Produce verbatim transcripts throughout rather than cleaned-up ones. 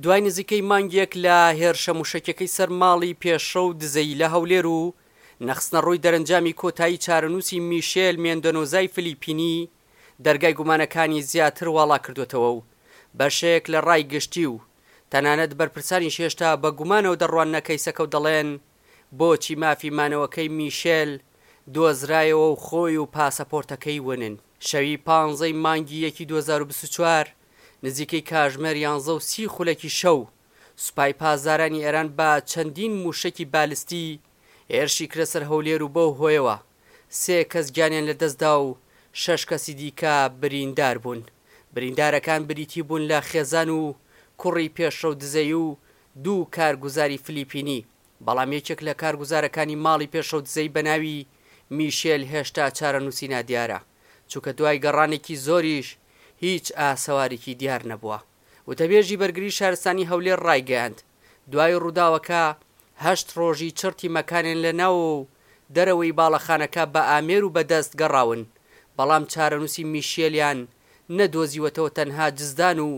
دوای نزیکەی مانگێک لە هێرشە موشەکیەکەی سەر ماڵی پێشڕەو دزەیی لە هەولێر و نەخستنەڕووی دەرەنجامی کۆتایی چارەنووسی میشێل مێندۆنۆزای فلیپینی دەرگای گومانەکانی زیاتر واڵا کردوێتەوە و بەشێک لە ڕای گشتی و تەنانەت بەرپرسانیش هێشتا بە گومانەوە دەڕواننە کەیسەکە و دەڵێن بۆچی مافی مانەوەکەی میشێل دۆزرایەوە و خۆی و پاسەپۆرتەکەی ونن. شەوی پانزەی مانگی یەکی دوو هەزار و بیست و چوار نزیکەی کاژمێر یانزە و سی خولەکی شەو سوپای پاسدارانی ئێران بە چەندین موشەکی بالستی هێرشی کرە سەر هەولێر و بەو هۆیەوە سێ کەس گیانیان لەدەستدا و شەش کەسی دیکە بریندار بوون. بریندارەکان بریتی بوون لە خێزان و کوڕی پێشڕەو دزەیی و دوو کارگوزاری فلیپینی، بەڵام یەکێک لە کارگوزارەکانی ماڵی پێشڕەو دزەیی بە ناوی میشێل هێشتا چارەنووسی نادیارە، چونکە دوای گەڕانێکی زۆریش هیچ ئاسەوارێکی دیار نەبووە. وتەبێژی بەرگری شارستانی هەولێر ڕایگەیاند، دوای ڕووداوەکە هەشت ڕۆژی چڕ تیمەکانیان لە ناوەوە و دەرەوەی باڵەخانەکە بە ئامێر و بەدەست گەڕاون، بەڵام چارەنووسی میشێلیان نەدۆزیوەتەوە تەنها جزدان و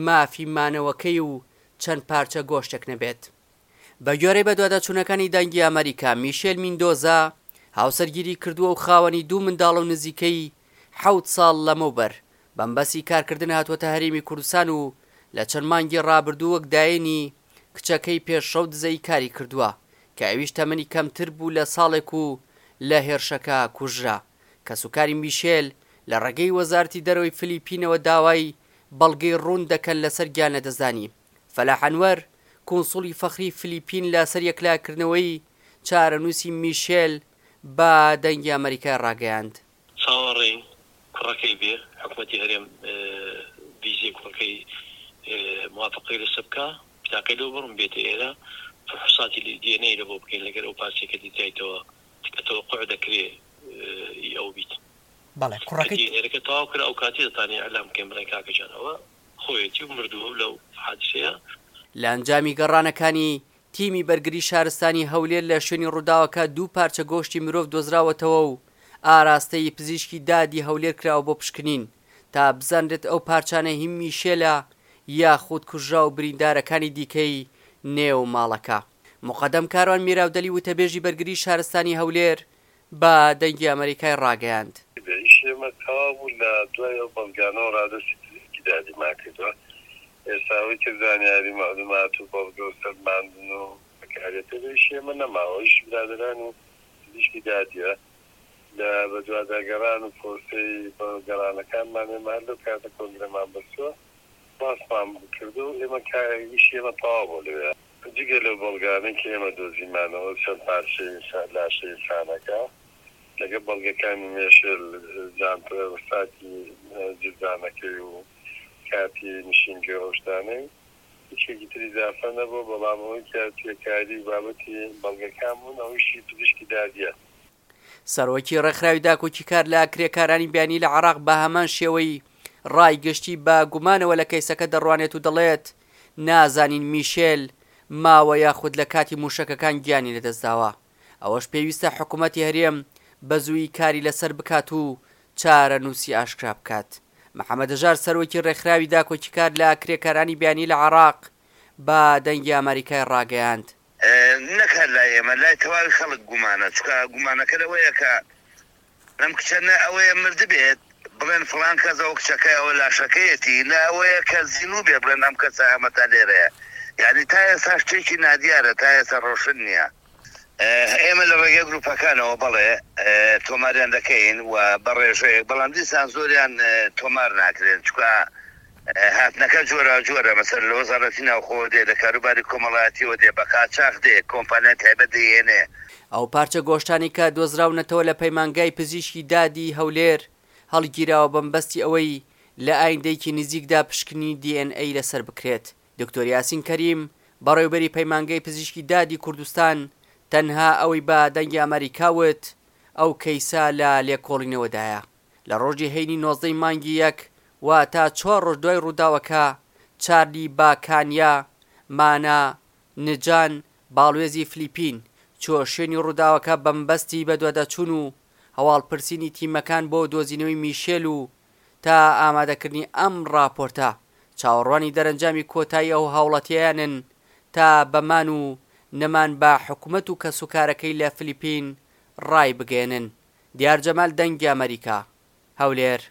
مافی مانەوەکەی و چەند پارچە گۆشتێک نەبێت. بە گوێرەی بەدواداچوونەکانی دەنگی ئەمریکا، میشێل میندۆزا هاوسەرگیری کردووە و خاوەنی دوو منداڵە و نزیکەی حەوت ساڵ لەمەوبەر بەمبەسی کارکردن هاتووەتە هەرێمی کوردستان و لە چەند مانگی ڕابردوو وەک دایەنی کچەکەی پێشڕەو دزەیی کاری کردووە کە ئەویش تەمەنی کەمتر بوو لە ساڵێک و لە هێرشەکە کوژرا. کەسوکاری میشێل لە ڕێگەی وەزارەتی دەرەوەی فلیپینەوە داوای بەڵگەی ڕوون دەکەن لەسەر گیان لەدەستدانی فەلاح ئەنوەر، کونسوڵی فەخری فلیپین لەسەر یەکلاکردنەوەی چارەنووسی میشێل بە دەنگی ئەمریکای ڕاگەیاند. چاوەڕێین کوڕەکەی بێ، حکومەتی هەرێم ڤیزەی کوڕەکەی موافقەی لەسەر بکا، بتاقەی لۆ بڕن بێتە ئێرە، فحوساتی دی ئێن ئەی لە بۆ بکەین لەگەر ئەو پارچەی کە دیتایتەوە کە تەوەقوع دەکرێ ئی ئەو بیت. بەڵێ کە کوڕەکەی. دی ئێن ئەیەکە تەواو کرا ئەو کاتی دەتانین ئیعلام بکەین بڵێین کاکە جان ئەوە خۆیەتی و مردووە و لەو حادیسەیە. لە ئەنجامی گەڕانەکانی تیمی بەرگری شارستانی هەولێر لە شوێنی ڕووداوەکە دوو پارچە گۆشتی مرۆڤ دۆزراوەتەوە و ئاراستەی پزیشکی دادی هەولێر کراوە بۆ پشکنین تا بزانرێت ئەو پارچانە هی میشێلە یاخود کوژراو و بریندارەکانی دیکەی نێو ماڵەکە. موقەدەم کاروان میراودەلی وتەبێژی بەرگری شارستانی هەولێر بە دەنگی ئەمەریکای ڕاگەیاند. ئیشی ئێمە تەواو بوو لە دوای ئەو بەڵگانەوە ڕادەستی پزیشکی دادیمان کردووە، ئێستا ئەوەی کە زانیاری مەعلومات و بەڵگە و سەلماندن و بەکارێتە لە ئیشی ئێمە نەماوە، ئیشی برادەرانی پزیشکی دادیە لە بەدواداگەڕان و پرۆسەی گەڕانەکانمان ئێمە هەر لەو کاتە کۆنگرەمان بەستووە باسمان کردو ئێمە ئیشی ئێمە تەواو بوو لەوێ، جگە لەو بەڵگانەی کە ئێمە دۆزیمانەوە چەند پارچەی لاشەی ئینسانەکە لەگەڵ بەڵگەکانی مێشێل جانتە ساتی جزدانەکەی و کاتی نشینگە ئەو شتانەی هیچێکی تری ئیزافە نەبوو، بەڵام ئەوەی کە پێکاری و بابەتی بەڵگەکان بوون ئەوەیشی پزیشکی دادیە. سەرۆکی ڕێکخراوی داکۆکیکار لە کرێکارانی بیانی لە عێراق بە هەمان شێوەی ڕای گشتی بە گومانەوە لە کەیسەکە دەڕوانێت و دەڵێت نازانین میشێل ماوە یاخود لە کاتی موشەکەکان گیانی لەدەستداوە، ئەوەش پێویستە حکومەتی هەرێم بە زوویی کاری لەسەر بکات و چارەنووسی ئاشکرا بکات. محەمەد هەژار سەرۆکی ڕێکخراوی داکۆکیکار لە کرێکارانی بیانی لە عێراق بە دەنگی ئەمەریکای ڕاگەیاند، نەک هەر لای ئێمە لای تەواوی خەڵک گومانە، چونکە گومانەکە لەوەیە کە ئەم کچە نە ئەوەیە مردبێت بڵێن فڵان کەس ئەوە کچەکەی ئەوە لاشەکەیەتی، نە ئەوەیە کە زیندوو بێ بڵێن ئەم کەسە ئەمەتا لێرەیە، یانی تا ئێستا شتێکی نادیارە، تا ئێستا ڕۆشن نییە. ئێمە لە ڕێگەی گروپەکانەوە بەڵێ تۆماریان دەکەین و بە ڕێژەیەک، بەڵام دیسان زۆریان تۆمار ناکرێن، چونکە هاتنەکە جۆراوجۆرە، مەسەلەن لە وەزارەتی ناوخۆوە دێ، لە کاروباری کۆمەڵایەتیەوە دێ، بە قاچاخ دێ، کۆمپانیای تایبەت دەیهێنێ. ئەو پارچە گۆشتانەی کە دۆزراونەتەوە لە پەیمانگای پزیشکی دادی هەولێر هەڵگیراوە بەمبەستی ئەوەی لە ئایندەیەکی نزیکدا پشکنینی دی ئێن ئەی لەسەر بکرێت. دکتۆر یاسین کەریم بەڕێوبەری پەیمانگەی پزیشکی دادی کوردستان تەنها ئەوەی بە دەنگی ئەمەریکا وت ئەو کەیسە لە لێکۆڵینەوەدایە. لە ڕۆژی هەینی نۆزدە ی مانگی یەک واتە چوار ڕۆژ دوای ڕووداوەکە چارلی باکانیا مانا نجان باڵوێزی فلیپین چووە شوێنی ڕووداوەکە بەمەبەستی بەدواداچوون و هەواڵپرسینی تیمەکان بۆ دۆزینەوەی میشێل و تا ئامادەکردنی ئەم ڕاپۆرتە چاوەڕوانی دەرەنجامی کۆتایی ئەو هاوڵاتییەیانن تا بە مان و نەمان بە حکومەت و کەسوکارەکەی لە فلیپین ڕایبگەیەنن. دیار جەمال دەنگی ئەمەریکا، هەولێر.